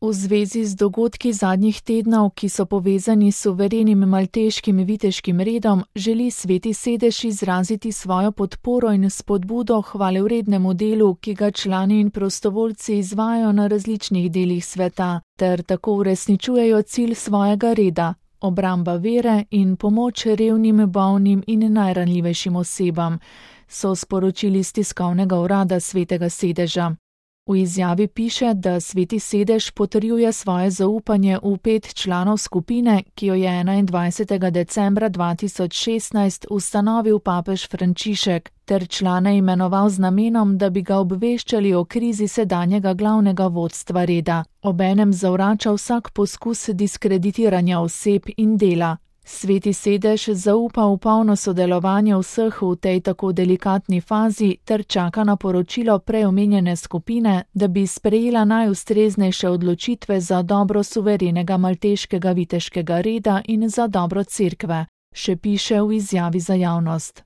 V zvezi z dogodki zadnjih tednov, ki so povezani s suverenim malteškim viteškim redom, želi Sveti sedež izraziti svojo podporo in spodbudo hvalevrednemu delu, ki ga člani in prostovoljci izvajajo na različnih delih sveta, ter tako uresničujejo cilj svojega reda, obramba vere in pomoč revnim, bolnim in najranljivejšim osebam, so sporočili iz tiskovnega urada Svetega sedeža. V izjavi piše, da Sveti sedež potrjuje svoje zaupanje v 5 članov skupine, ki jo je 21. decembra 2016 ustanovil papež Frančišek, ter člane imenoval z namenom, da bi ga obveščali o krizi sedanjega glavnega vodstva reda. Obenem zavrača vsak poskus diskreditiranja oseb in dela. Sveti sedež zaupa v polno sodelovanje vseh v tej tako delikatni fazi ter čaka na poročilo preomenjene skupine, da bi sprejela najustreznejše odločitve za dobro suverenega malteškega viteškega reda in za dobro cerkve, še piše v izjavi za javnost.